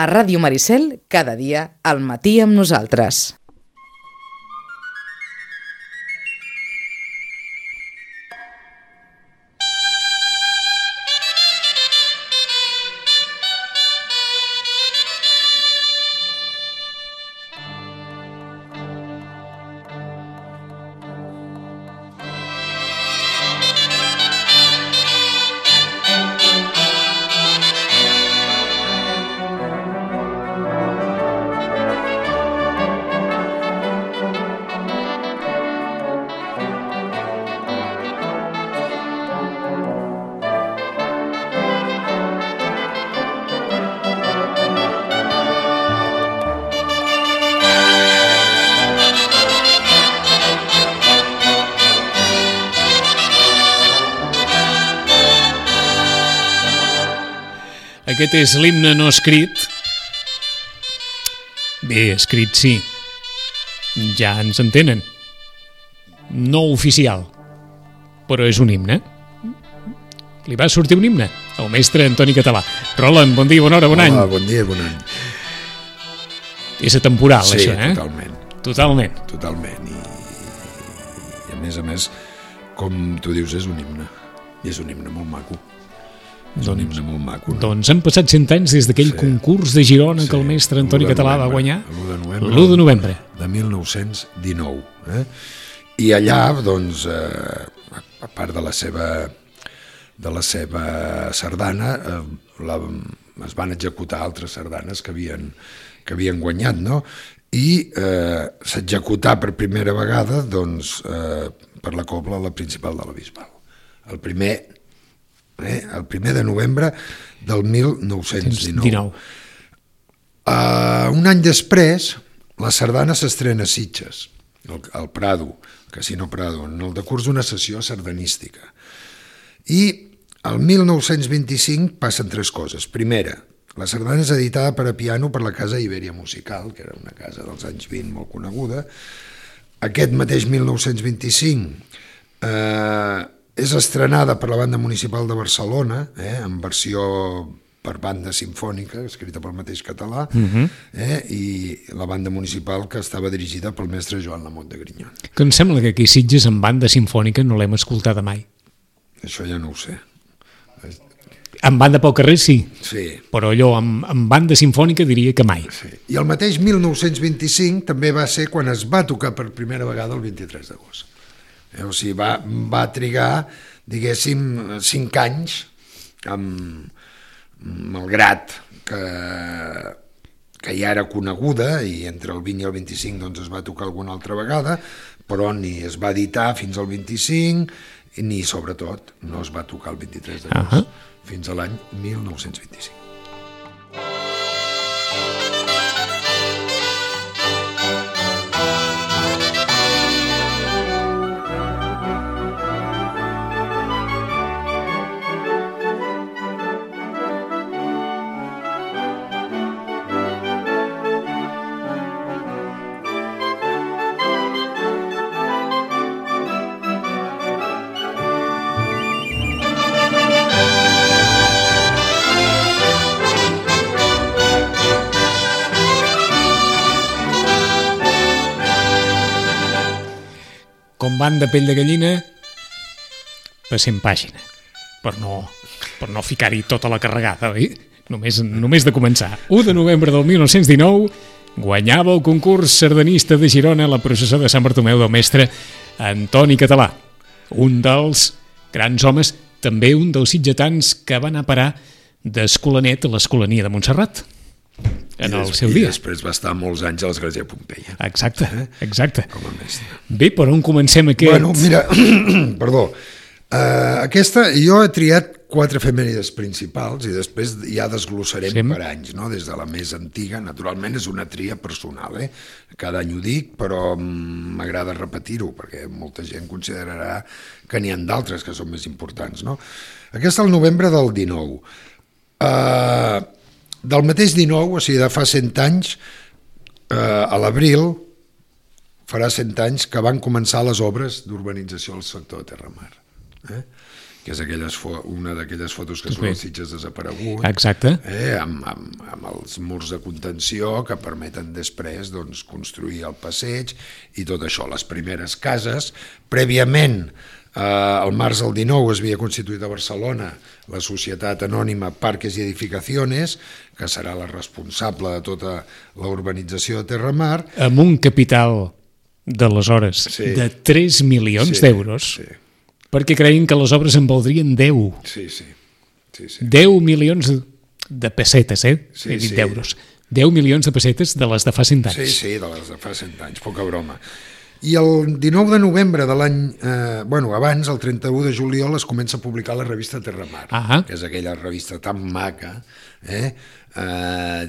A Ràdio Maricel, cada dia, al matí amb nosaltres. Aquest és l'himne no escrit. Bé, escrit sí. Ja ens entenen. No oficial. Però és un himne. Li va sortir un himne al mestre Antoni Català. Roland, bon dia, bona hora, bon any. Hola, bon dia, bon any. És atemporal, sí, això, eh? Totalment. Totalment. I a més, com tu dius, és un himne. I és un himne molt maco. Un himne molt maco, no? Doncs han passat 100 anys des d'aquell concurs de Girona que el mestre Antoni Català va guanyar l'1 de novembre de 1919. I allà, doncs, a part de la seva sardana, es van executar altres sardanes que havien guanyat, no? I s'executà per primera vegada, doncs, per la cobla la principal de la Bisbal. El primer de novembre del 1919. Un any després, la sardana s'estrena a Sitges, al Prado, Casino Prado, en el decurs d'una sessió sardanística. I el 1925 passen tres coses. Primera, la sardana és editada per a piano per la Casa Ibèria Musical, que era una casa dels anys 20 molt coneguda. Aquest mateix 1925 és estrenada per la Banda Municipal de Barcelona, en versió per banda simfònica, escrita pel mateix Català, i la Banda Municipal que estava dirigida pel mestre Joan Lamont de Grignon. Que em sembla que aquí a Sitges en banda simfònica no l'hem escoltada mai. Això ja no ho sé. En banda pel carrer sí, però allò en banda simfònica diria que mai. Sí. I el mateix 1925 també va ser quan es va tocar per primera vegada el 23 d'agost. O sigui, va trigar, diguéssim, 5 anys, malgrat que ja era coneguda, i entre el 20 i el 25 doncs, es va tocar alguna altra vegada, però ni es va editar fins al 25, ni, sobretot, no es va tocar el 23 d'agost, fins a l'any 1925. Com van de pell de gallina, passem pàgina, per no ficar-hi tota la carregada, oi? Només de començar. 1 de novembre del 1919 guanyava el concurs sardanista de Girona la processó de Sant Bartomeu del mestre Antoni Català, un dels grans homes, també un dels sitgetans que va anar a parar d'Escolanet a l'Escolania de Montserrat. En el seu dia. I després va estar molts anys a l'Església de Pompeia. Exacte. Com a mestre. Bé, per on comencem aquest? Bueno, mira, perdó. Aquesta, jo he triat 4 efemèrides principals i després ja desglossarem per anys, no? Des de la més antiga, naturalment és una tria personal, cada any ho dic, però m'agrada repetir-ho, perquè molta gent considerarà que n'hi ha d'altres que són més importants, no? Aquesta el novembre del 19. Del mateix 19, o sigui, de fa 100 anys, a l'abril, farà 100 anys que van començar les obres d'urbanització al sector de Terramar. que és una d'aquelles fotos que surt als Sitges desaparegut. Exacte. Amb els murs de contenció que permeten després doncs, construir el passeig i tot això. Les primeres cases, prèviament, el març del 19 es havia constituït a Barcelona la Societat Anònima Parques i Edificaciones, que serà la responsable de tota la urbanització de Terramar. Amb un capital d'aleshores de 3 milions d'euros, perquè creien que les obres en valdrien 10. Sí. 10 milions de pessetes, he dit d'euros. 10 milions de pessetes de les de fa 100 anys. Sí, de les de fa 100 anys, poca broma. I el 19 de novembre de l'any... abans, el 31 de juliol, es comença a publicar la revista Terramar, que és aquella revista tan maca,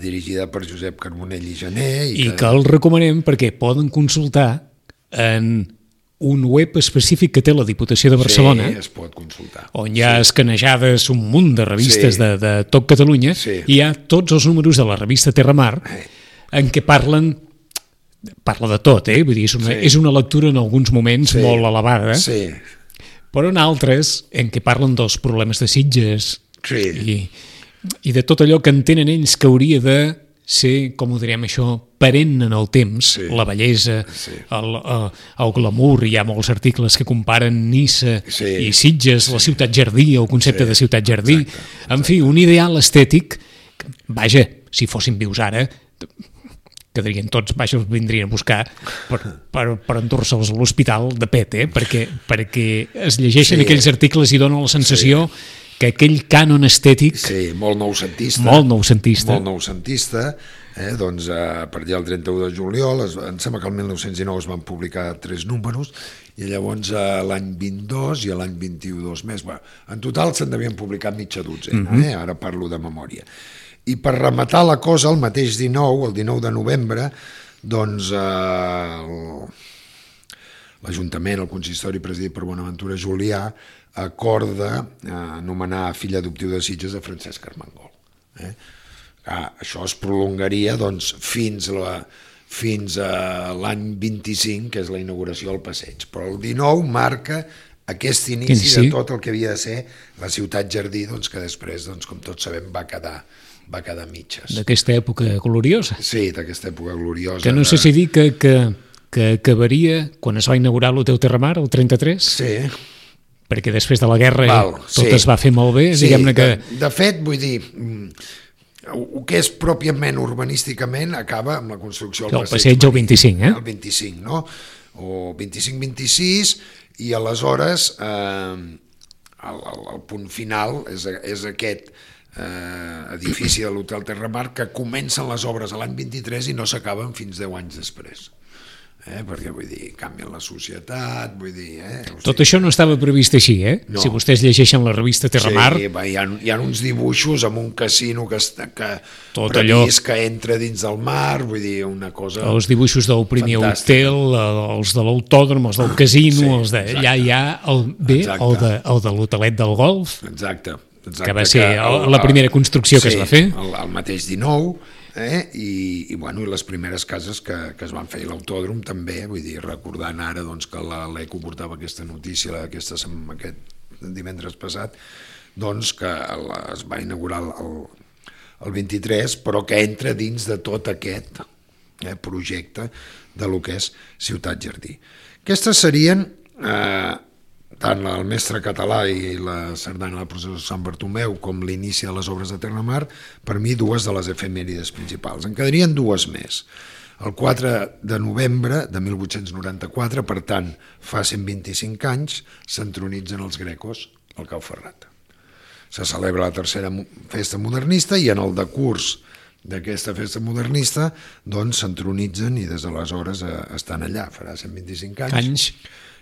dirigida per Josep Carbonell i Jané. I que el recomanem perquè poden consultar en un web específic que té la Diputació de Barcelona, es pot consultar, on hi ha escanejades un munt de revistes de tot Catalunya, i hi ha tots els números de la revista Terramar en què parla de tot, vull dir, és una lectura en alguns moments molt elevada, però en altres en què parlen dels problemes de Sitges i de tot allò que entenen ells que hauria de ser, com ho direm això, perenne en el temps, la bellesa, el glamour. Hi ha molts articles que comparen Niça i Sitges, la ciutat jardí, el concepte de ciutat jardí, en fi, un ideal estètic. Vaja, si fossin vius ara, quedarien tots, els vindrien a buscar per endur-se'ls a l'hospital de pet, perquè es llegeixen aquells articles i donen la sensació que aquell cànon estètic... molt noucentista. Doncs a partir del 31 de juliol, em sembla que el 1919 es van publicar 3 números, i llavors l'any 22 i l'any 22 més. En total se'n devien publicar mitja dotzena, ara parlo de memòria. I per rematar la cosa, el mateix 19, el 19 de novembre, doncs l'Ajuntament, el consistori presidit per Bonaventura Julià, acorda anomenar fill adoptiu de Sitges a Francesc Armengol. Això es prolongaria doncs, fins a l'any 25, que és la inauguració del passeig. Però el 19 marca aquest inici de tot el que havia de ser la ciutat jardí, doncs, que després, doncs, com tots sabem, va quedar mitges. D'aquesta època gloriosa. Sí, d'aquesta època gloriosa. Que no sé si dir que acabaria quan es va inaugurar l'Hotel Terramar, el 33? Sí. Perquè després de la guerra tot es va fer molt bé, diguem-ne que... De fet, vull dir, el que és pròpiament urbanísticament acaba amb la construcció del passeig el 25, El 25, no? O 25-26, i aleshores el punt final és aquest edifici de l'Hotel Terramar, que comencen les obres a l'any 23 i no s'acaben fins 10 anys després. Perquè, vull dir, canvien la societat, vull dir... Tot això no estava previst així, No. Si vostès llegeixen la revista Terramar... Sí, hi ha uns dibuixos amb un casino que previst que entra dins del mar, vull dir, una cosa... Els dibuixos del primer hotel, els de l'autòdrom, els del casino, els de... Allà hi ha el de l'hotelet del golf, que va ser la primera construcció que es va fer. El mateix 19... I les primeres cases que es van fer, l'autòdrom també, vull dir, recordant ara que l'Eco portava aquesta notícia aquest divendres passat, doncs que es va inaugurar el 23, però que entra dins de tot aquest projecte de lo que és Ciutat Jardí. Aquestes serien tant el Mestre Català i la sardana de la processó de Sant Bartomeu com l'inici de les obres de Terramar, per mi dues de les efemèrides principals. En quedarien dues més. El 4 de novembre de 1894, per tant, fa 125 anys, s'entronitzen els grecos al Cau Ferrat. Se celebra la tercera festa modernista i en el decurs d'aquesta festa modernista doncs s'entronitzen i des d'aleshores estan allà, farà 125 anys.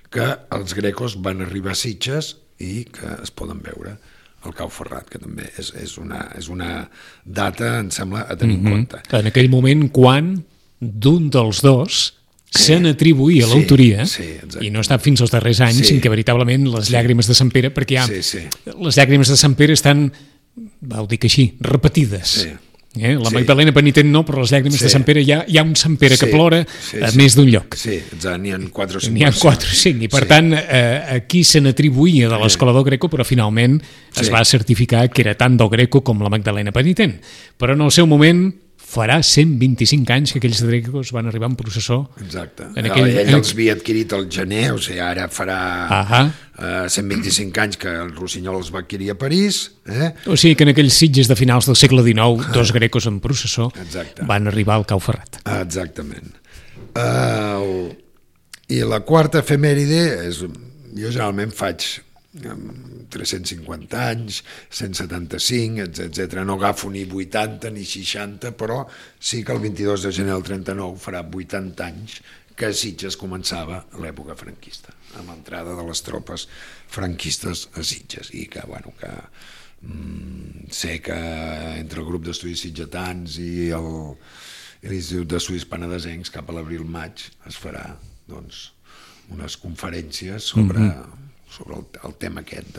Que els grecos van arribar a Sitges i que es poden veure al Cau Ferrat, que també és una data, em sembla, a tenir en compte. En aquell moment, quan d'un dels dos se n'atribuïa l'autoria, i no està fins als darrers anys en què veritablement les llàgrimes de Sant Pere, perquè les llàgrimes de Sant Pere estan, ho dic així, repetides. La Magdalena penitent no, però les llàgrimes de Sant Pere hi ha un Sant Pere que plora a més d'un lloc. Sí, n'hi ha 4 o 5. N'hi ha 4 o 5, i per tant aquí se n'atribuïa de l'escola del Greco, però finalment es va certificar que era tant del Greco com la Magdalena penitent. Però en el seu moment farà 125 anys que aquells drecos van arribar en processó. Exacte. Ell els havia adquirit al gener, o sigui, ara farà 125 anys que el Rossinyol els va adquirir a París. O sigui que en aquells Sitges de finals del segle XIX, 2 grecos en processó van arribar al Cau Ferrat. Exactament. I la quarta efemèride és... Jo generalment faig 350 anys, 175, etc. No agafo ni 80 ni 60, però sí que el 22 de gener del 39 farà 80 anys que a Sitges començava l'època franquista, amb l'entrada de les tropes franquistes a Sitges. I que, bueno, que sé que entre el grup d'estudis sitgetans i l'Institut d'Estudis Penedesencs cap a l'abril-maig es farà, doncs, unes conferències sobre el tema aquest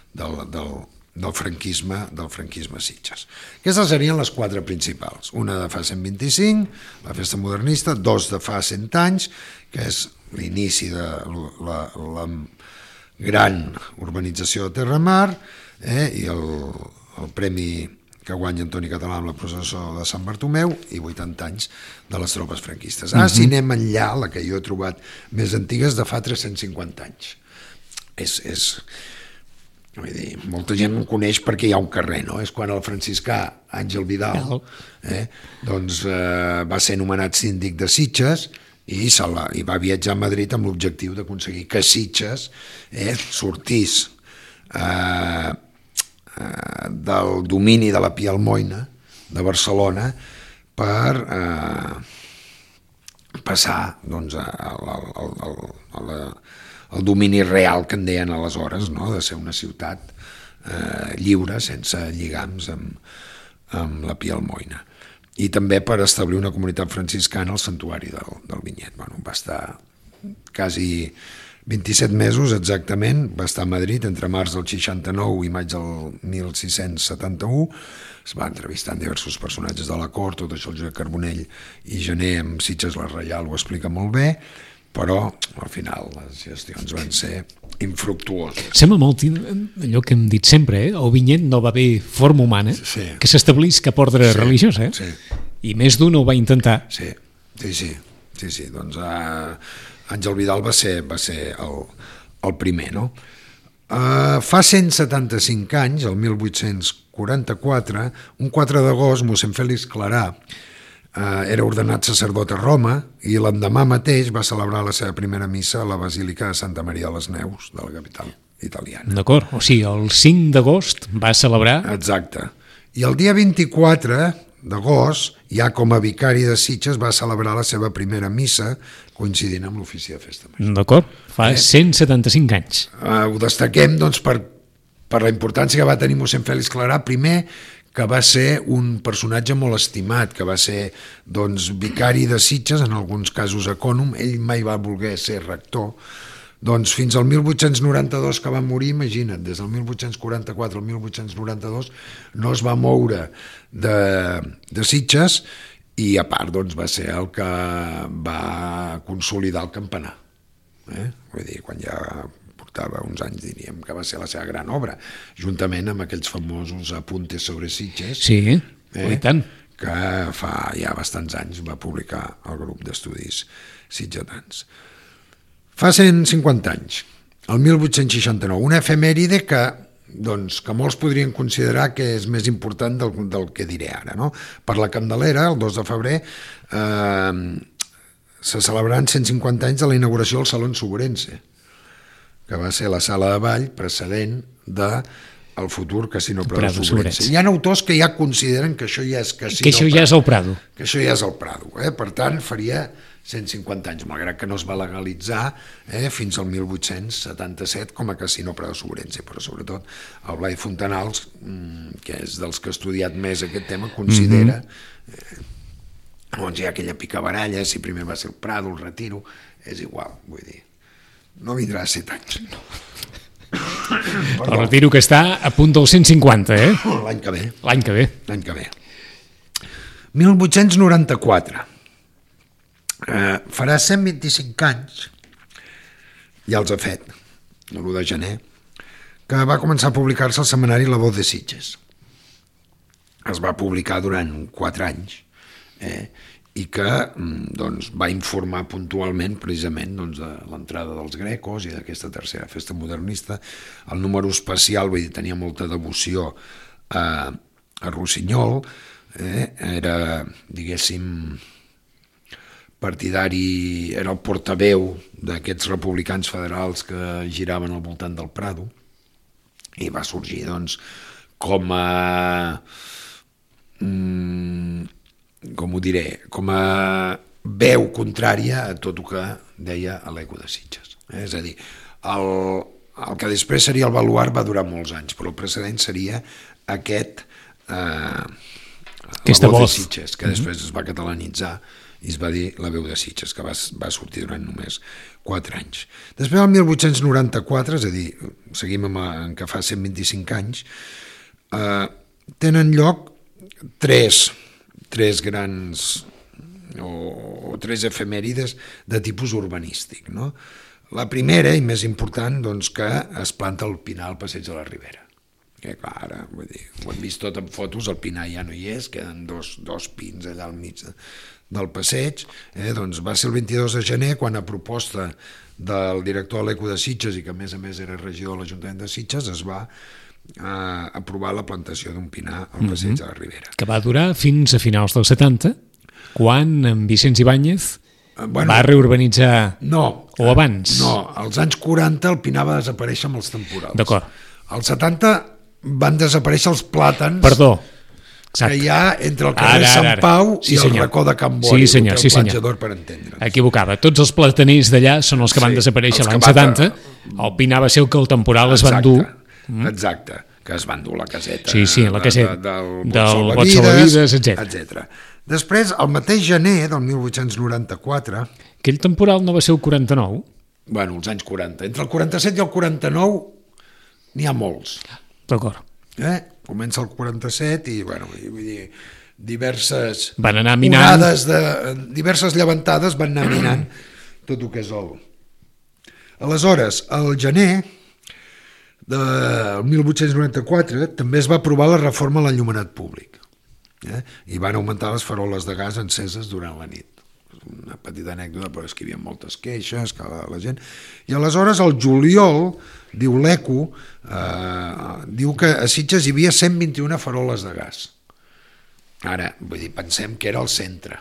del franquisme a Sitges. Aquestes serien les 4 principals. Una de fa 125, la festa modernista, 2 de fa 100 anys, que és l'inici de la gran urbanització de Terramar, i el premi que guanya Antoni Català amb la processó de Sant Bartomeu, i 80 anys de les tropes franquistes. Si anem enllà, la que jo he trobat més antiga és de fa 350 anys. Vull dir, molta gent em coneix perquè hi ha un carrer, no? És quan el franciscà Àngel Vidal doncs va ser nomenat síndic de Sitges i va viatjar a Madrid amb l'objectiu d'aconseguir que Sitges sortís del domini de la Pia Almoina de Barcelona per passar doncs al domini real que en deien aleshores, no? De ser una ciutat lliure, sense lligams amb la Pia Almoina. I també per establir una comunitat franciscana al santuari del Vinyet. Bueno, va estar quasi 27 mesos exactament, va estar a Madrid entre març del 69 i maig del 1671, es va entrevistar amb diversos personatges de la cort, tot això el Josep Carbonell i Gené amb Sitges la Reial ho explica molt bé, però al final les gestions van ser infructuoses. Sembla molt allò que hem dit sempre, el Vinyet no va haver forma humana que s'establís cap ordre religiós, i més d'un ho va intentar. Sí, doncs Àngel Vidal va ser el primer, no? Fa 175 anys, el 1844, un 4 d'agost, mossèn Fèlix Clarà era ordenat sacerdot a Roma i l'endemà mateix va celebrar la seva primera missa a la Basílica de Santa Maria de les Neus, de la capital italiana. D'acord, o sigui, el 5 d'agost va celebrar... Exacte. I el dia 24 d'agost, ja com a vicari de Sitges, va celebrar la seva primera missa coincidint amb l'ofici de festa major. D'acord, fa 175 anys. Ho destaquem doncs, per la importància que va tenir mossèn Fèlix Clarà, primer que va ser un personatge molt estimat, que va ser doncs, vicari de Sitges, en alguns casos ecònom, ell mai va voler ser rector, doncs fins al 1892 que va morir, imagina't, des del 1844 al 1892 no es va moure de Sitges i a part doncs, va ser el que va consolidar el campanar. Vull dir, quan ja portava uns anys, diríem que va ser la seva gran obra, juntament amb aquells famosos apuntes sobre Sitges, i tant, que fa ja bastants anys va publicar el grup d'estudis sitgetans. Fa 150 anys, el 1869, una efemèride que molts podrien considerar que és més important del que diré ara. No? Per la Candelera, el 2 de febrer, se celebraran 150 anys de la inauguració del Salón Sobrense, que va ser la sala de ball precedent del futur Casino Prado Sobrense. Hi ha autors que ja consideren que això ja és Casino que això ja és el Prado. Que això ja és el Prado. Per tant, faria 150 anys, malgrat que no es va legalitzar fins al 1877 com a Casino Prado Sobrense, però sobretot el Blai Fontanals, que és dels que ha estudiat més aquest tema, considera doncs hi ha aquella picabaralla, si primer va ser el Prado, el Retiro, és igual, vull dir, no vindrà a 7 anys. El Retiro que està a punt del 150, L'any que ve. L'any que ve. L'any que ve. 1894. Farà 125 anys, ja els ha fet, l'1 de gener, que va començar a publicar-se el setmanari La Voz de Sitges. Es va publicar durant 4 anys, i que doncs, va informar puntualment precisament doncs, de l'entrada dels grecos i d'aquesta tercera festa modernista. El número especial, vull dir, tenia molta devoció a Rossinyol, era, diguéssim, partidari, era el portaveu d'aquests republicans federals que giraven al voltant del Prado, i va sorgir doncs, com a com a veu contrària a tot el que deia l'Eco de Sitges. És a dir, el que després seria el baluard va durar molts anys, però el precedent seria aquesta Voz de Sitges, que després es va catalanitzar i es va dir La Veu de Sitges, que va sortir durant només 4 anys. Després, el 1894, és a dir, seguim en que fa 125 anys, tenen lloc tres grans o tres efemèrides de tipus urbanístic. No? La primera i més important, doncs, que es planta el pinar al Passeig de la Ribera. Que clar, ara, vull dir, ho hem vist tot en fotos, el pinar ja no hi és, queden dos pins allà al mig del passeig. Doncs va ser el 22 de gener quan, a proposta del director de l'Eco de Sitges i que a més era regidor de l'Ajuntament de Sitges, es va aprovar la plantació d'un pinar al Passeig de la Ribera. Que va durar fins a finals dels 70, quan en Vicenç Ibáñez va reurbanitzar... No. O abans? No, als anys 40 el pinar va desaparèixer amb els temporals. D'acord. Als 70 van desaparèixer els plàtans... Perdó. Exacte. Que hi ha entre el carrer Sant Pau i el racó de Can Bori, el platjador, per entendre'ns. Equivocava. Tots els plataners d'allà són els que van desaparèixer l'any 70. El pinar va ser el que el temporal es van dur. Exacte, que es van dur la caseta, la caseta del Bot Salvavides, etc. Després, el mateix gener del 1894... Aquell temporal no va ser el 49? Bueno, els anys 40. Entre el 47 i el 49 n'hi ha molts. D'acord. Comença el 47 i, bueno, vull dir, diverses van anar minant. Diverses llevantades van anar minant tot el que és el... Aleshores, al gener del 1894 també es va aprovar la reforma a l'enllumenat públic, i van augmentar les faroles de gas enceses durant la nit. Una petita anècdota, però és que hi havia moltes queixes, que la gent... I aleshores, al juliol, diu l'Eco, diu que a Sitges hi havia 121 faroles de gas. Ara, vull dir, pensem que era el centre.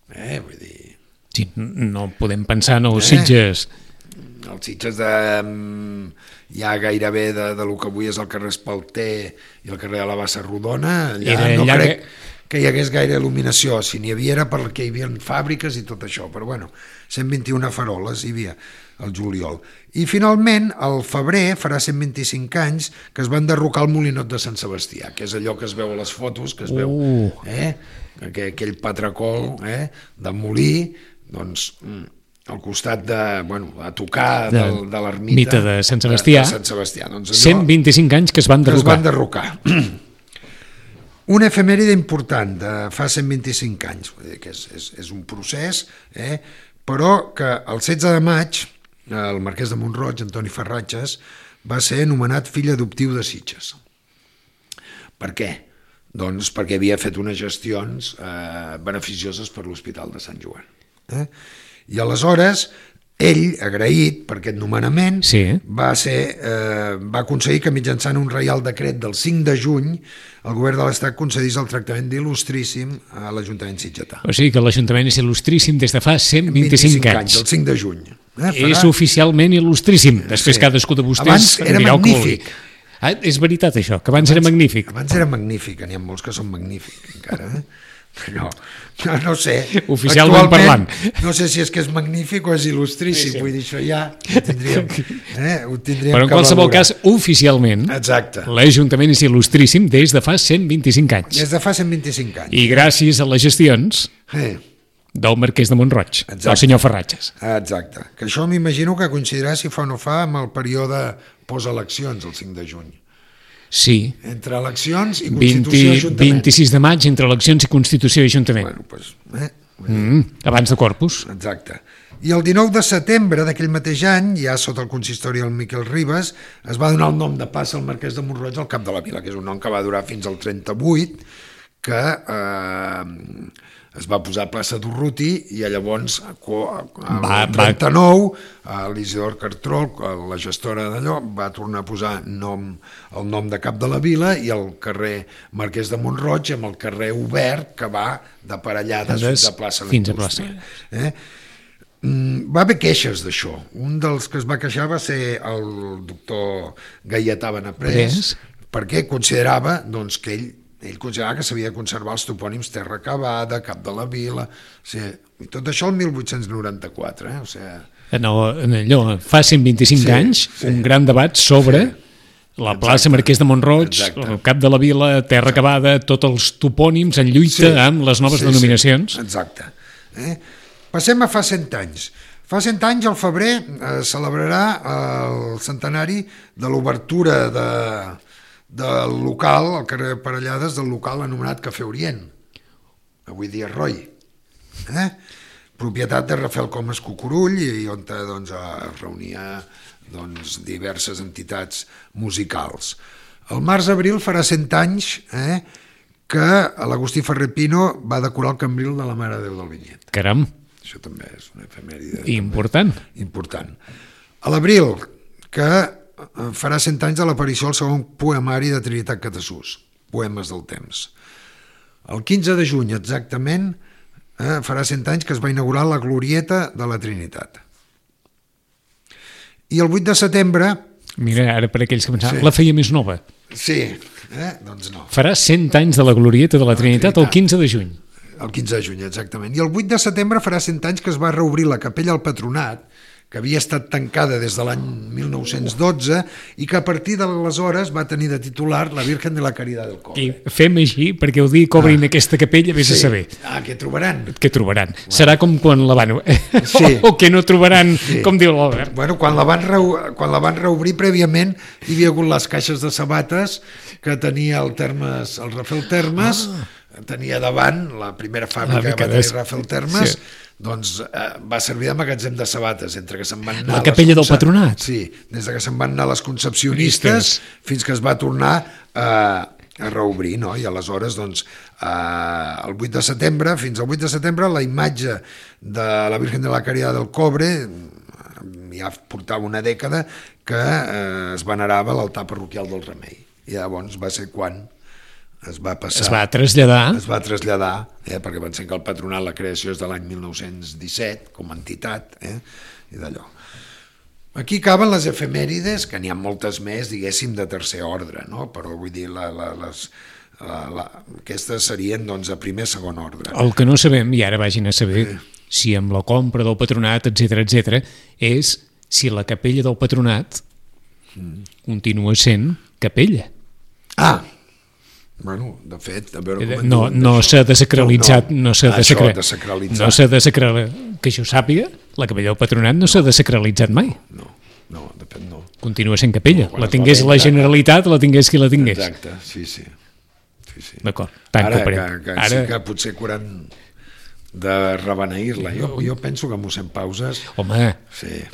Vull dir... Sí, no podem pensar en els Sitges... Els Sitges ja gairebé de lo que avui és el carrer Espalter i el carrer de la Bassa Rodona, allà no crec que hi hagués gaire il·luminació. Si n'hi havia era perquè hi havia fàbriques i tot això, però bueno, 121 faroles hi havia al juliol. I finalment, al febrer, farà 125 anys que es van derrocar el molinot de Sant Sebastià, que és allò que es veu a les fotos, que es veu aquell patracol de molí, doncs... al costat de, a tocar de l'ermita de Sant Sebastià, doncs 125 anys que es van derrocar. Una efemèride important de fa 125 anys, que és un procés, però que el 16 de maig el marquès de Mont-roig, Antoni Ferratges, va ser nomenat fill adoptiu de Sitges. Per què? Doncs perquè havia fet unes gestions beneficioses per l'Hospital de Sant Joan. I aleshores ell, agraït per aquest nomenament, va aconseguir que mitjançant un reial decret del 5 de juny el govern de l'Estat concedís el tractament d'il·lustríssim a l'Ajuntament sitgetà. O sigui que l'Ajuntament és il·lustríssim des de fa 125 anys. El 5 de juny. És oficialment il·lustríssim. Després cadascú de vostès dirà el que vulgui. És veritat això, que abans era magnífic. Abans era magnífic, n'hi ha molts que són magnífics encara, no sé, oficialment parlant, no sé si és que és magnífic o és il·lustríssim, vull dir, això ja ho tindríem però en qualsevol cas, oficialment l'Ajuntament és il·lustríssim des de fa 125 anys. Des de fa 125 anys. I gràcies a les gestions del marquès de Mont-roig, del senyor Ferratges. Exacte, que això m'imagino que coincidirà, si fa o no fa, amb el període post-eleccions, el 5 de juny. Sí. Entre eleccions i Constitució i Ajuntament. 26 de maig, entre eleccions i Constitució i Ajuntament. Bueno, pues, Abans de Corpus. exacte. I el 19 de setembre d'aquell mateix any, ja sota el consistori del Miquel Ribes, es va donar el nom de plaça al Marquès de Mont-roig al cap de la vila, que és un nom que va durar fins al 38, que es va posar plaça d'Urruti, i llavors al 39 l'Isidor Cartrol, la gestora d'allò, va tornar a posar el nom de cap de la vila, i el carrer Marquès de Mont-roig amb el carrer obert que va de Parellades fins a plaça d'Indústria. Va haver queixes d'això. Un dels que es va queixar va ser el doctor Gaietà Benaprés, perquè considerava doncs, que ell considerava que s'havia de conservar els topònims Terra Acabada, Cap de la Vila, i tot això el 1894. Allò, fa 125 anys, un gran debat sobre la plaça Marquès de Mont-roig, el Cap de la Vila, Terra Acabada, tots els topònims en lluita amb les noves denominacions. Exacte. Passem a fa 100 anys. Fa 100 anys, al febrer, celebrarà el centenari de l'obertura del local, al carrer Parellades, del local anomenat Cafè Orient, avui dia Roy, propietat de Rafael Comas Cucurull, i on es reunia diverses entitats musicals. El març-abril farà 100 anys que l'Agustí Ferrer Pino va decorar el cambril de la Mare de Déu del Vinyet. Caram! Això també és una efemèride. Important. A l'abril, que farà 100 anys de l'aparició del segon poemari de Trinitat Catasús, Poemes del temps. El 15 de juny, exactament, farà 100 anys que es va inaugurar la Glorieta de la Trinitat. I el 8 de setembre... Mira, ara per aquells que pensaven, la feia més nova. Sí, doncs no. Farà 100 anys de la Glorieta de la Trinitat el 15 de juny. El 15 de juny, exactament. I el 8 de setembre farà 100 anys que es va reobrir la capella al Patronat, que havia estat tancada des de l'any 1912 i que a partir d'aleshores va tenir de titular la Virgen de la Caridad del Cobre. I fem així, perquè ho dic, obrin aquesta capella, vés a saber. Què trobaran? Què trobaran? Bueno. Serà com quan la van... o que no trobaran, com diu l'Albert. Bueno, quan la van reobrir prèviament hi havia hagut les caixes de sabates que tenia el Rafael Termes, tenia davant la primera fàbrica que va tenir Rafael Termes, doncs va servir de magatzem de sabates, entre que se'n van anar... La capella del Patronat. Sí, des que se'n van anar les concepcionistes fins que es va tornar a reobrir, no? I aleshores, doncs, el 8 de setembre, fins al 8 de setembre, la imatge de la Virgen de la Caridad del Cobre ja portava una dècada que es venerava a l'altar parroquial del Remei. I llavors va ser quan es va traslladar, perquè pensem que el Patronat, la creació és de l'any 1917 com a entitat, i d'allò. Aquí acaben les efemèrides, que n'hi ha moltes més, diguéssim, de tercer ordre, no? Però vull dir, aquestes serien doncs a primer, segon ordre. El que no sabem, i ara vagin a saber, si amb la compra del Patronat, etc, és si la capella del Patronat continua sent capella. Bueno, de fet, a veure com no s'ha desacralitzat, no s'ha desacralitzat, que jo sàpiga, la capella del Patronat no s'ha desacralitzat mai. No, de fet no. Continua sent capella, la tingués la Generalitat, la tingués qui la tingués. Exacte, sí. D'acord, ara sí que potser hauran de rebeneir-la. Jo penso que mossèn Pauses... Home, sí.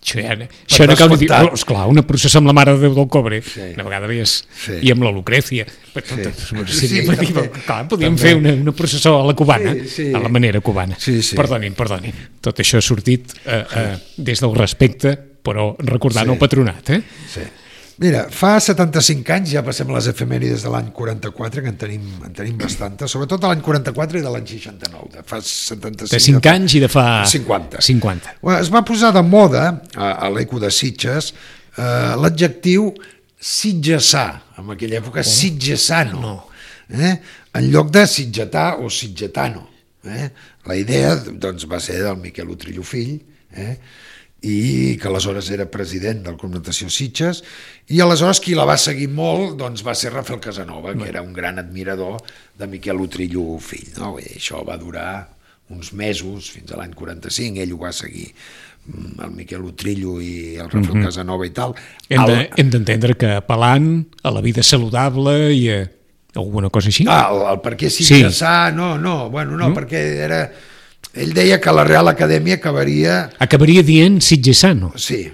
Això no cal dir, esclar, una processó amb la Mare de Déu del Cobre, una vegada més, i amb la Lucrècia. Podíem fer una processó a la cubana, a la manera cubana. Perdonin. Tot això ha sortit des del respecte, però recordant el Patronat. Mira, fa 75 anys, ja passem a les efemèrides de l'any 44, que en tenim bastantes, sobretot de l'any 44 i de l'any 69, de fa 75... De 5 anys i de fa... 50. Es va posar de moda, a l'Eco de Sitges, l'adjectiu sitgesà, en aquella època sitgesano, en lloc de sitgetà o sitgetano. La idea doncs, va ser del Miquel Utrillo fill, i que aleshores era president del Club Natació Sitges, i aleshores qui la va seguir molt doncs, va ser Rafael Casanova, que era un gran admirador de Miquel Utrillo fill, no? I això va durar uns mesos, fins a l'any 45, ell ho va seguir, el Miquel Utrillo i el Rafael Casanova i tal. Hem d'entendre que apel·lant a la vida saludable i a alguna cosa així? El per què sitgesà, no, perquè era... Ell deia que la Real Acadèmia acabaria dient sitgesano. Sí,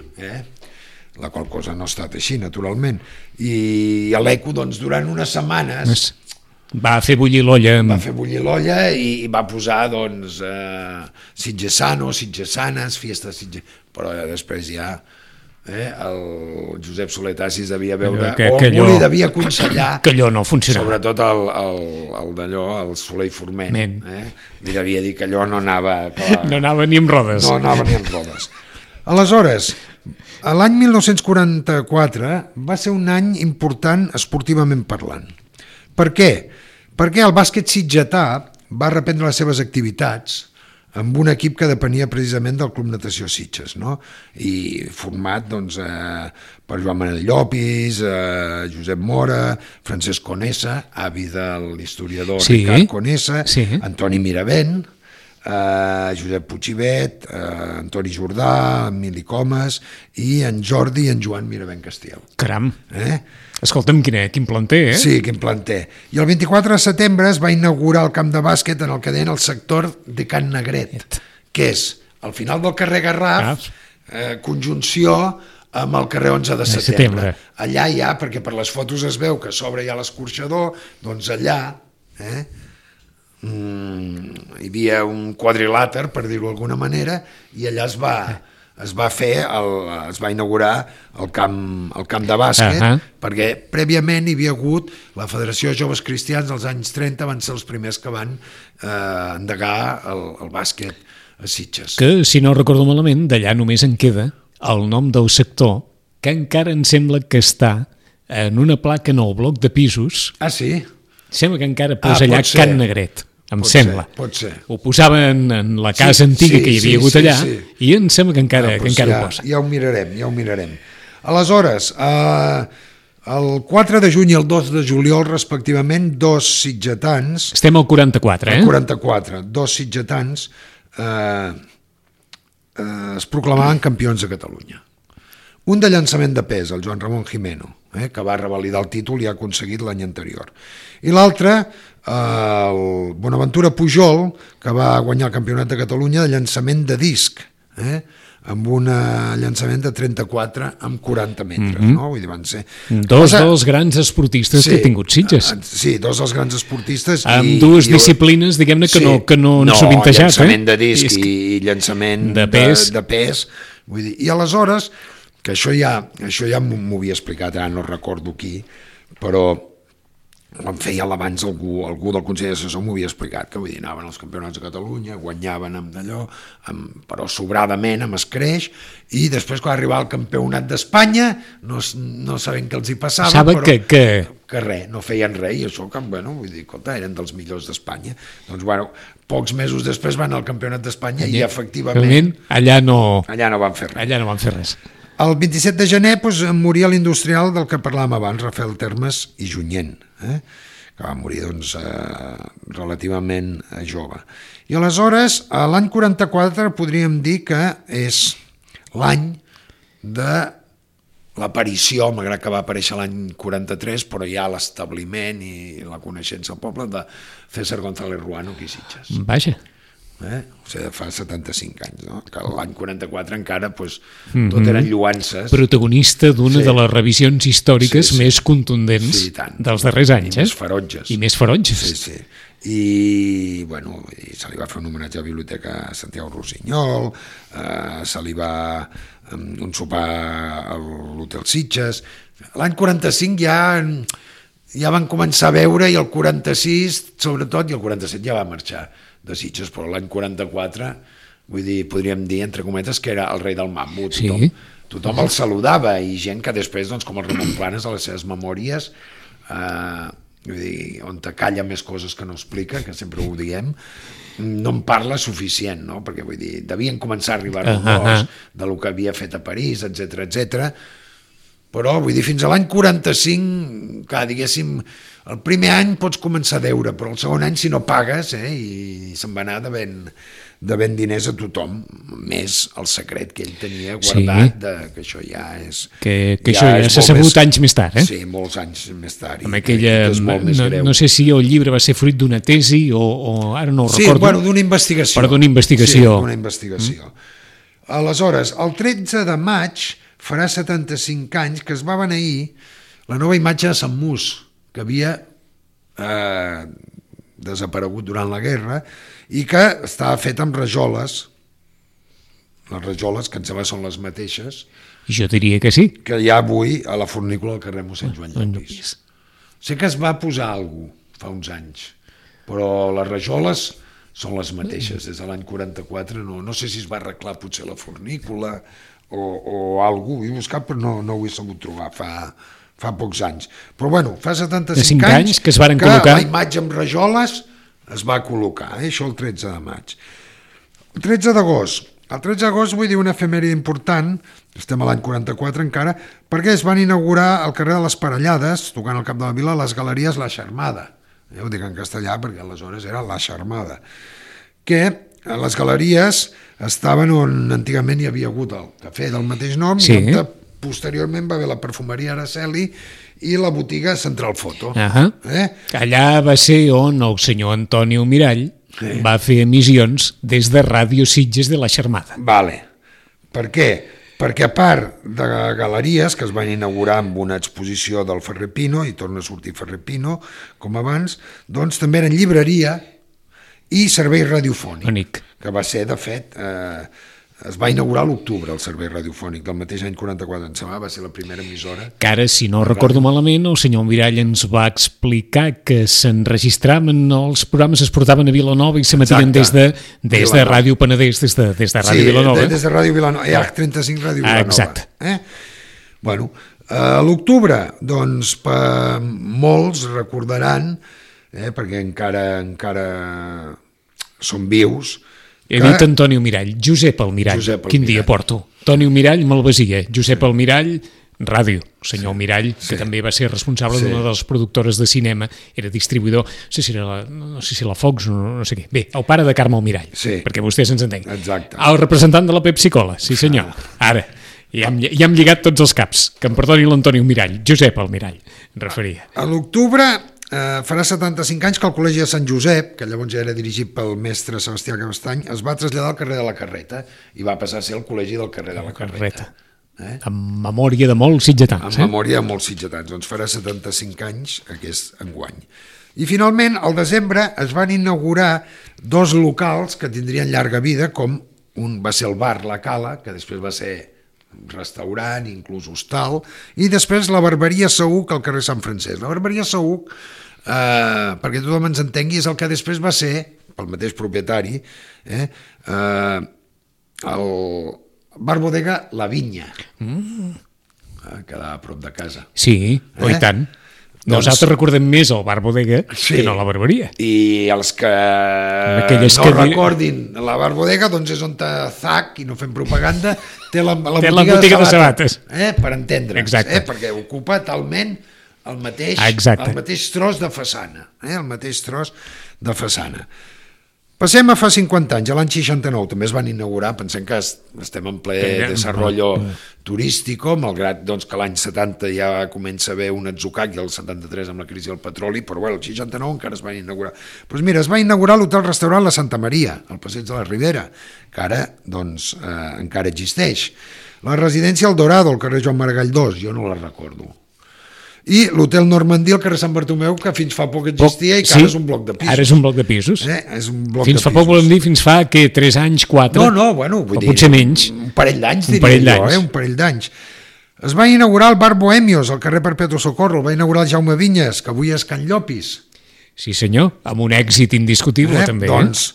la qual cosa no ha estat així, naturalment. I a l'Eco, doncs, durant unes setmanes... Va fer bullir l'olla. Va fer bullir l'olla i va posar, doncs, sitgesano, sitgesanes, fiestes sitgesanes... Però després ja el Josep Soletassis devia veure algú li devia aconsellar que allò no funcionava. Sobretot el d'allò, el Soler i Forment. Li devia dir que allò no anava... No anava ni amb rodes. No anava ni amb rodes. Aleshores, l'any 1944 va ser un any important esportivament parlant. Per què? Perquè el bàsquet sitgetà va reprendre les seves activitats amb un equip que depenia precisament del Club Natació Sitges, no? I format doncs, per Joan Manel Llopis, Josep Mora, Francesc Conesa, avi de l'historiador Ricard Conesa, Antoni Miravent, Josep Puigibet, Antoni Jordà, Emili Comas i en Jordi i en Joan Miravent Castiel. Caram! Escolta'm, quin planter, Sí, quin planter. I el 24 de setembre es va inaugurar el camp de bàsquet en el que deien el sector de Can Negret, que és al final del carrer Garraf, conjunció amb el carrer 11 de setembre. Allà hi ha, perquè per les fotos es veu que a sobre hi ha l'escorxador, doncs allà hi havia un quadrilàter, per dir-ho d'alguna manera, i allà es va inaugurar el camp de bàsquet, perquè prèviament hi havia hagut la Federació de Joves Cristians als anys 30, van ser els primers que van endegar el bàsquet a Sitges. Que, si no recordo malament, d'allà només en queda el nom del sector, que encara em sembla que està en una placa en el bloc de pisos. Ah, sí? Sembla que encara posa allà Can Negret. Sembla. Pot ser. Ho posaven en la casa antiga que hi havia hagut allà i em sembla que encara ho posa. Ja ho mirarem. Aleshores, el 4 de juny i el 2 de juliol, respectivament, dos sitgetans... Estem al 44, Al 44. Dos sitgetans es proclamaven campions de Catalunya. Un de llançament de pes, el Joan Ramon Jimeno, que va revalidar el títol i ha aconseguit l'any anterior. I l'altre, el Bonaventura Pujol, que va guanyar el Campionat de Catalunya de llançament de disc, amb un llançament de 34 amb 40 metres. No? Vull dir, van ser... Dos dels grans esportistes que ha tingut Sitges. Sí, dos dels grans esportistes. Amb dues disciplines, diguem-ne, que no han sovintejat. Llançament de disc i llançament de pes. Vull dir, i aleshores... que això ja m'ho havia explicat, ara no recordo qui, però em feia abans algú del Consell Assessor m'ho havia explicat, que vull dir, anaven als campionats de Catalunya, guanyaven amb d'allò, però sobradament, amb escreix, i després quan arribava al campionat d'Espanya no sabent què els hi passava, però que res, no feien res, i això que, bueno, vull dir, escolta, eren dels millors d'Espanya. Doncs, bueno, pocs mesos després van al campionat d'Espanya i efectivament allà no van fer res. El 27 de gener moria l'industrial del que parlàvem abans, Rafael Termes i Junyent, que va morir doncs, relativament jove. I aleshores, l'any 44 podríem dir que és l'any de l'aparició, malgrat que va aparèixer l'any 43, però ja l'establiment i la coneixença al poble de César González Ruano aquí a Sitges. Vaja. O sigui, fa 75 anys, no? Que l'any 44 encara tot eren lluances. Protagonista d'una de les revisions històriques més contundents dels darrers anys. I més ferotges. Sí. I, bueno, se li va fer un homenatge a la Biblioteca Santiago Rossinyol, se li va un sopar a l'Hotel Sitges. L'any 45 ja van començar a veure, i el 46 sobretot, i el 47 ja va marxar de Sitges, però l'any 44, vull dir, podríem dir, entre cometes, que era el rei del mambo. Tothom el saludava, i gent que després, doncs, com el Ramon Planes, a les seves memòries, vull dir, on te calla més coses que no explica, que sempre ho diem, no en parla suficient, no? Perquè, vull dir, devien començar a arribar rumors de lo que havia fet a París, etc. però vull dir, fins a l'any 45, clar, diguéssim, el primer any pots començar a deure, però el segon any si no pagues, i se'n va anar devent diners a tothom, més el secret que ell tenia guardat, que això ja és... Que això ja s'ha sabut anys més tard, Sí, molts anys més tard. Amb aquella, no sé si el llibre va ser fruit d'una tesi o ara no ho recordo. Sí, bueno, d'una investigació. Però d'una investigació. Sí, d'una investigació. Aleshores, el 13 de maig farà 75 anys que es va beneir la nova imatge de Sant Mus, que havia desaparegut durant la guerra i que estava fet amb rajoles, les rajoles que em sembla són les mateixes jo diria que sí, que hi ha avui a la fornícula del carrer mossèn Joan Llopis. Sé que es va posar alguna cosa fa uns anys, però les rajoles són les mateixes des de l'any 44, no sé si es va arreglar potser la fornícula o alguna cosa, ho he buscat però no ho he sabut trobar fa pocs anys. Però bueno, fa 75 anys que es varen col·locar... la imatge amb rajoles es va col·locar, això el 13 de maig. El 13 d'agost. El 13 d'agost vull dir una efemèride important, estem a l'any 44 encara, perquè es van inaugurar al carrer de les Parellades, tocant al cap de la vila, les galeries La Xarmada. Ho dic en castellà perquè aleshores era La Xarmada. Que les galeries estaven on antigament hi havia hagut el cafè del mateix nom, i on posteriorment va haver la perfumeria Araceli i la botiga Central Foto. Allà va ser on el senyor Antonio Mirall va fer emissions des de Ràdio Sitges de la Xarmada. Vale. Per què? Perquè a part de galeries que es van inaugurar amb una exposició del Ferrer Pino, i torna a sortir Ferrer Pino, com abans, doncs també eren llibreria i servei radiofònic, que va ser, de fet, es va inaugurar a l'octubre el servei radiofònic del mateix any 44, em sembla, va ser la primera emissora. Que ara, si no recordo malament, el senyor Mirall ens va explicar que s'enregistraven, els programes es portaven a Vilanova i s'emetien des de Ràdio Penedès, des de Ràdio Vilanova. Sí, des de Ràdio Vilanova, H35 Ràdio Vilanova. Exacte. Bueno, a l'octubre, doncs, molts recordaran, perquè encara són vius. He dit Antonio Mirall, Josep Almirall. Quin dia porto? Antonio Mirall, Malvasia, Josep Almirall, ràdio. El senyor Mirall, que també va ser responsable d'una de les productores de cinema, era distribuïdor, no sé si la Fox, no sé què. Bé, el pare de Carme Almirall, perquè vostès ens entenguin. Exacte. El representant de la Pepsi-Cola, sí senyor. Ara, ja hem lligat tots els caps. Que em perdoni l'Antonio Mirall, Josep Almirall, referia. A l'octubre farà 75 anys que el Col·legi de Sant Josep, que llavors ja era dirigit pel mestre Sebastià Cabestany, es va traslladar al carrer de la Carreta i va passar a ser el Col·legi del carrer de la Carreta. En memòria de molts sitgetans. En memòria de molts sitgetans. Doncs farà 75 anys aquest enguany. I finalment, al desembre, es van inaugurar dos locals que tindrien llarga vida, com un va ser el bar La Cala, que després va ser restaurant, inclús hostal, i després la Barberia Saüc al carrer Sant Francesc. La Barberia Saüc, perquè tothom ens entengui, és el que després va ser, pel mateix propietari, el bar bodega La Vinya, que quedava a prop de casa. Sí, i tant. Nosaltres recordem més el bar bodega que no la barberia. I els que no recordin la bar bodega, doncs és on Zac, i no fem propaganda, té la botiga de sabates. Per entendre'ns, perquè ocupa talment el mateix tros de façana. El mateix tros de façana. Passem a fa 50 anys, a l'any 69, també es van inaugurar, pensem que estem en ple desenvolupament turístic, malgrat que l'any 70 ja comença a haver un atzucac i el 73 amb la crisi del petroli, però el 69 encara es van inaugurar. Doncs mira, es va inaugurar l'hotel-restaurant La Santa Maria, al passeig de la Ribera, que ara encara existeix. La residència El Dorado, al carrer Joan Maragall 2, jo no la recordo. I l'hotel Normandí al carrer Sant Bartomeu, que fins fa poc existia i que ara és un bloc de pisos. Ara és un bloc de pisos. Fins fa poc volem dir, fins fa, 3 anys, 4? No, bueno, vull dir... potser menys. Un parell d'anys, diria jo, un parell d'anys. Es va inaugurar el bar Bohemios, al carrer Perpetuo Socorro, el va inaugurar el Jaume Vinyes, que avui és Can Llopis. Sí senyor, amb un èxit indiscutible també. Doncs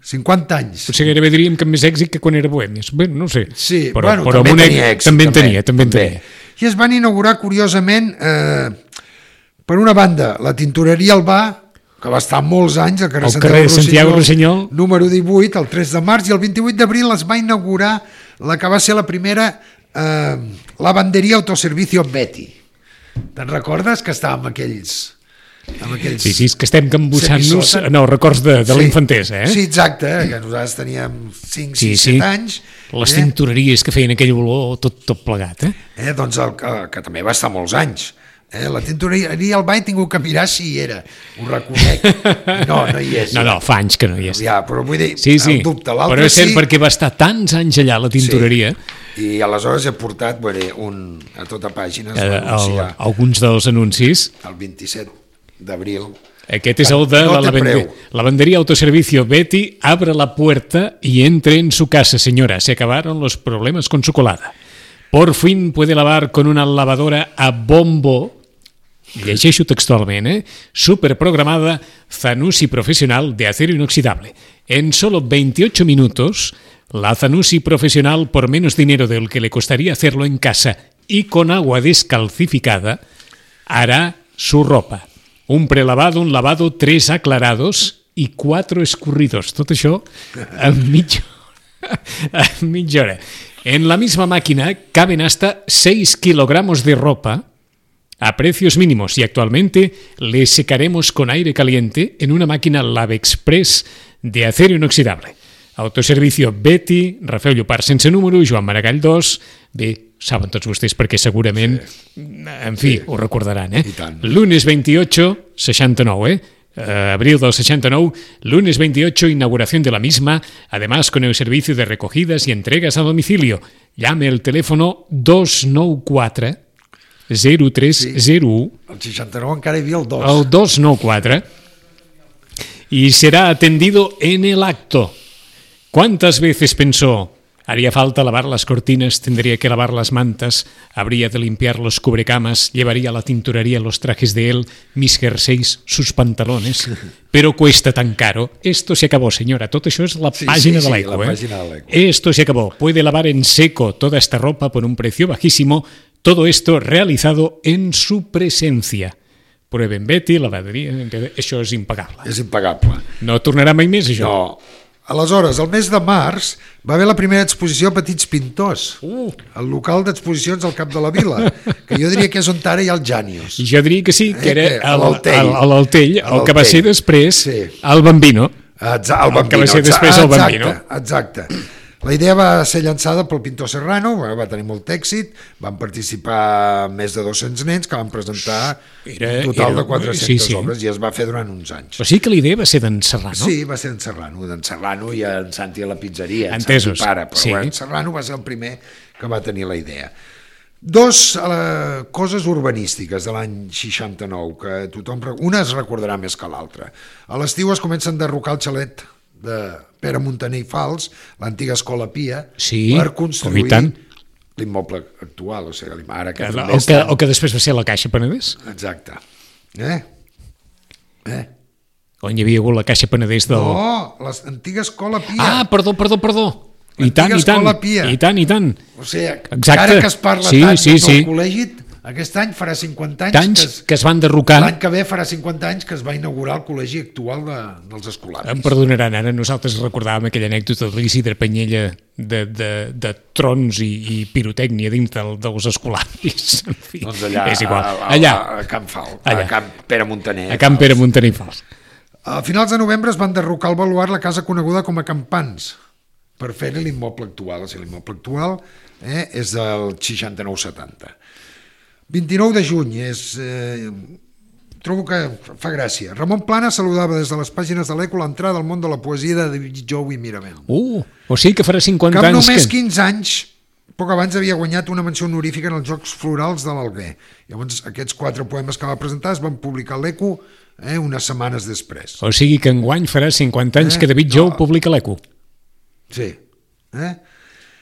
50 anys. Potser gairebé diríem que amb més èxit que quan era Bohemios. Bé, no ho sé. Sí, però també tenia èxit. També en tenia. I es van inaugurar, curiosament, per una banda, la tintoreria Albà, que va estar molts anys al carrer Santiago Rossinyol, número 18, el 3 de març, i el 28 d'abril es va inaugurar la que va ser la primera Lavanderia Autoservicio Betty. Te'n recordes que estàvem aquells... Sí, és que estem cambussant-nos en els records de la infantesa, Sí, exacte, que nosaltres teníem 5, 6, 7 anys. Les tintoreries que feien aquell olor tot plegat, Doncs que també va estar molts anys. La tintoreria al bany he tingut que mirar si hi era, ho reconec. No hi és. No, fa anys que no hi és. Ja, però vull dir, el dubte, l'altre però és cert perquè va estar tants anys allà la tintoreria. I aleshores he portat a tota pàgina alguns dels anuncis. El 27 d'abril. Aquest es el de Lavandería Autoservicio Betty. Abra la puerta y entre en su casa, señora. Se acabaron los problemas con su colada. Por fin puede lavar con una lavadora a bombo. Llegeixo textualment, superprogramada Zanussi profesional de acero inoxidable. En solo 28 minutos, la Zanussi profesional, por menos dinero del que le costaría hacerlo en casa y con agua descalcificada, hará su ropa. Un prelavado, un lavado, 3 aclarados y 4 escurridos. Tot això en mitja hora. En la misma máquina caben hasta 6 kilogramos de ropa a precios mínimos y actualmente le secaremos con aire caliente en una máquina LavExpress de acero inoxidable. Autoservicio Betty, Rafael Llopart sense número, Joan Maragall 2. Bé, saben tots vostès perquè segurament, en fi, ho recordaran, Lunes 28, 69, abril del 69, lunes 28, inauguración de la misma, además con el servicio de recogidas y entregas a domicilio. Llame el teléfono 294 0301. El 69 encara hi havia el 2. El 294. Y será atendido en el acto. ¿Cuántas veces pensó? Haría falta lavar las cortinas, tendría que lavar las mantas, habría de limpiar los cubrecamas, llevaría a la tintorería los trajes de él, mis jerseys, sus pantalones. Pero cuesta tan caro. Esto se acabó, señora. Todo eso es la página de l'ECO. Esto se acabó. Puede lavar en seco toda esta ropa por un precio bajísimo. Todo esto realizado en su presencia. Prueben Betty, lavaderia... Això és impagable. És impagable. No tornarà mai més, això? No. Aleshores, el mes de març va haver la primera exposició a Petits Pintors, al local d'exposicions al Cap de la Vila, que jo diria que és on ara hi ha el Jànius. Jo diria que sí, que era a l'Altell, el que va ser després el Bambino. El que va ser després el Bambino. Exacte. La idea va ser llançada pel pintor Serrano, va tenir molt èxit, van participar més de 200 nens que van presentar un total de 400 obres i es va fer durant uns anys. O sigui que la idea va ser d'en Serrano? Sí, va ser d'en Serrano i en Santi a la pizzeria, en Entesos. Santi pare, però en Serrano va ser el primer que va tenir la idea. Dos coses urbanístiques de l'any 69 que tothom... Una es recordarà més que l'altra. A l'estiu es comença a enderrocar el xalet de Pere Muntaner i Fals, l'antiga Escola Pia, per construir l'immoble actual, o sigui, ara que també està... O que després va ser la Caixa Penedès. Exacte. On hi havia hagut la Caixa Penedès del... No, l'antiga Escola Pia. Ah, perdó. I tant. O sigui, encara que es parla tant del col·legi, aquest any farà 50 anys que es van derrocar. L'any que ve farà 50 anys que es va inaugurar el col·legi actual dels escolaris. Em perdonaran, ara nosaltres recordàvem aquella anècdota de l'Isidre Penyella de trons i pirotècnia dins dels escolaris. En fi, doncs allà, és igual. A Camp Fal, a Camp Pere Muntaner. A Camp Pere Muntaner i Fals. A finals de novembre es van derrocar al baluard la casa coneguda com a Campans per fer-hi l'immoble actual. O sigui, l'immoble actual és del 69-70. 29 de juny, trobo que fa gràcia. Ramon Plana saludava des de les pàgines de l'ECO l'entrada al món de la poesia de David Jou i Miramel. O sigui que farà 50 anys... Que amb només 15 anys, poc abans havia guanyat una menció honorífica en els Jocs Florals de l'Alguer. Llavors, aquests 4 poemes que va presentar es van publicar a l'ECO unes setmanes després. O sigui que enguany farà 50 anys que David Jou publica l'ECO. Sí.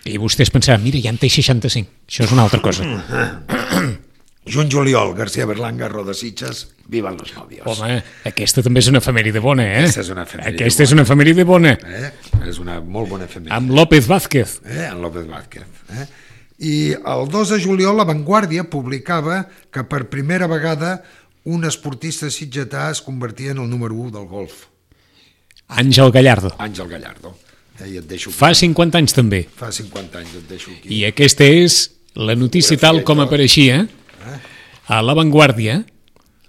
I vostès pensaran, mira, ja en té 65. Això és una altra cosa. Juny-juliol, García Berlanga, Roda Sitges, vivan los novios. Home, aquesta també és una efemèride bona, Aquesta és una efemèride bona. És una molt bona efemèride. Amb López Vázquez. Amb López Vázquez. I el 2 de juliol La Vanguardia publicava que per primera vegada un esportista sitgetà es convertia en el número 1 del golf. Àngel Gallardo. Àngel Gallardo. I et deixo aquí. Fa 50 anys també. Fa 50 anys, et deixo aquí. I aquesta és La notícia tal com apareixia a La Vanguardia,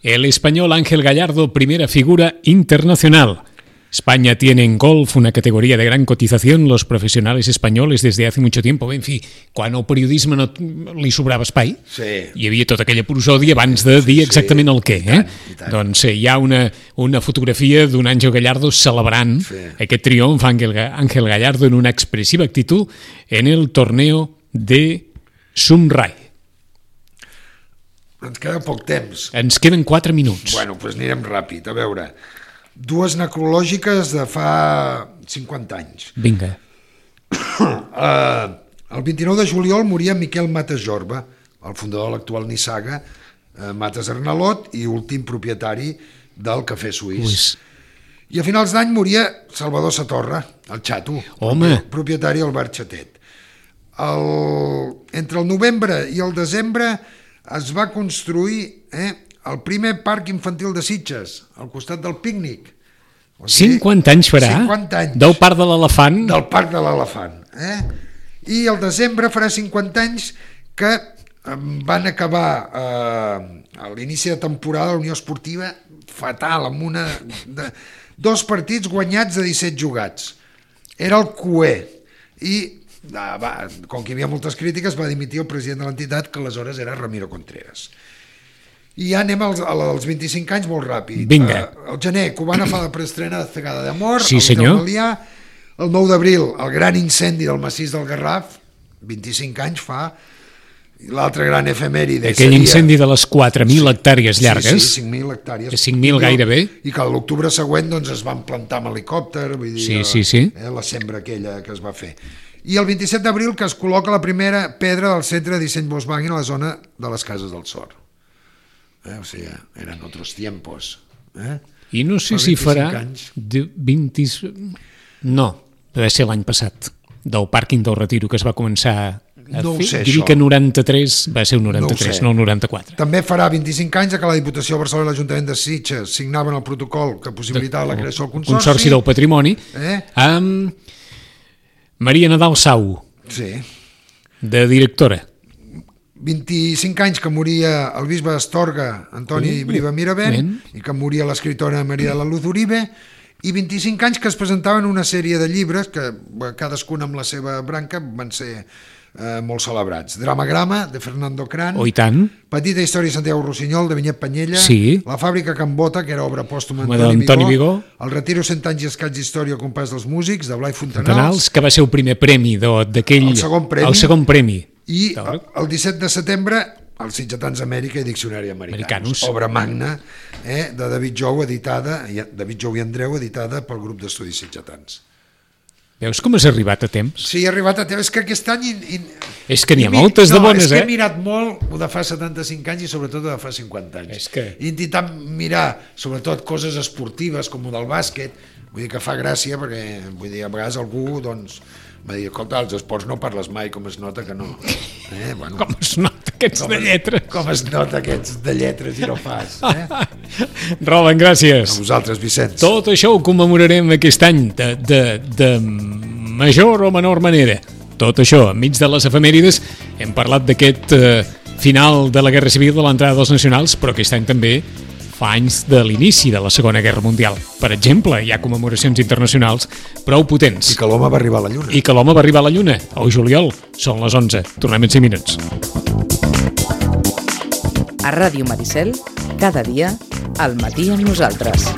el español Ángel Gallardo, primera figura internacional. España tiene en golf una categoria de gran cotización. Los profesionales españoles desde hace mucho tiempo. En fi, quan al periodisme no li sobrava espai, hi havia tota aquella prosòdia abans de dir exactament el què. I tant. Doncs hi ha una fotografia d'un Ángel Gallardo celebrant aquest triomf, Ángel Gallardo, en una expressiva actitud en el torneo de Sunray. Ens queda poc temps. Ens queden 4 minuts. Bueno, doncs anirem ràpid. A veure, dues necrològiques de fa 50 anys. Vinga. El 29 de juliol moria Miquel Matas Jorba, el fundador de l'actual Nissaga, Matas Arnalot i últim propietari del Cafè Suís. I a finals d'any moria Salvador Satorra, el xato, propietari del Bar Xatet. Entre el novembre i el desembre es va construir el primer parc infantil de Sitges, al costat del pícnic. O sigui, 50 anys farà? 50 anys. Del Parc de l'Elefant? Del Parc de l'Elefant. I al desembre farà 50 anys que van acabar a l'inici de temporada la Unió Esportiva fatal, amb dos partits guanyats de 17 jugats. Era el cué. I com que hi havia moltes crítiques, va dimitir el president de l'entitat, que aleshores era Ramiro Contreras. I ja anem als 25 anys molt ràpid. Vinga. El gener, Cubana fa la preestrena de Cegada d'Amor. Sí, senyor. El 9 d'abril, el gran incendi del massís del Garraf, 25 anys fa. L'altre gran efemèride aquell incendi de les 4.000 hectàrees llargues. Sí, 5.000 hectàrees. 5.000 gairebé. I que l'octubre següent es van plantar amb helicòpter, vull dir, la sembra aquella que es va fer. I el 27 d'abril que es col·loca la primera pedra del centre de disseny Volkswagen a la zona de les Cases del Sor. O sigui, eren altres tiempos. I no sé si farà 20... No, deve ser l'any passat, del pàrquing del Retiro, que es va començar a fer. Diria que 93 va ser el 93, no el 94. També farà 25 anys que la Diputació de Barcelona i l'Ajuntament de Sitges signaven el protocol que possibilitava la creació del Consorci del Patrimoni, amb Maria Nadal Sau, de directora. 25 anys que moria el bisbe d'Astorga, Antoni Briva Miravent, i que moria l'escriptora Maria de la Luz Uribe, i 25 anys que es presentaven una sèrie de llibres que cadascun amb la seva branca van ser molt celebrats. Dramagrama, de Fernando Cran, Petita història de Santiago Rossinyol, de Vinyet Panyella, La fàbrica Can Bota, que era obra pòstuma d'Antoni Vigó, El retiro 100 anys i escaig d'història al compàs dels músics, de Blai Fontanals, que va ser el primer premi d'aquell... El segon premi. I el 17 de setembre, els Sitgetans Amèrica i Diccionari Americanus, obra magna de David Jou, David Jou i Andreu, editada pel grup d'estudis sitgetans. Veus com has arribat a temps? Sí, he arribat a temps. És que aquest any... És que n'hi ha moltes de bones, és que he mirat molt de fa 75 anys i sobretot de fa 50 anys. He intentat mirar sobretot coses esportives com el del bàsquet, vull dir que fa gràcia perquè a vegades algú doncs va dir, escolta, els esports no parles mai, com es nota que no. Com es nota aquests de lletres. Com es nota aquests de lletres i no fas. Roland, gràcies. A vosaltres, Vicenç. Tot això ho commemorarem aquest any de major o menor manera. Tot això, enmig de les efemèrides, hem parlat d'aquest final de la Guerra Civil, de l'entrada dels nacionals, però aquest any també fa anys de l'inici de la Segona Guerra Mundial. Per exemple, hi ha commemoracions internacionals prou potents. I que l'home va arribar a la Lluna. I que l'home va arribar a la Lluna, al juliol. Són les 11. Tornem en 5 minuts. A Ràdio Maricel, cada dia, al matí amb nosaltres.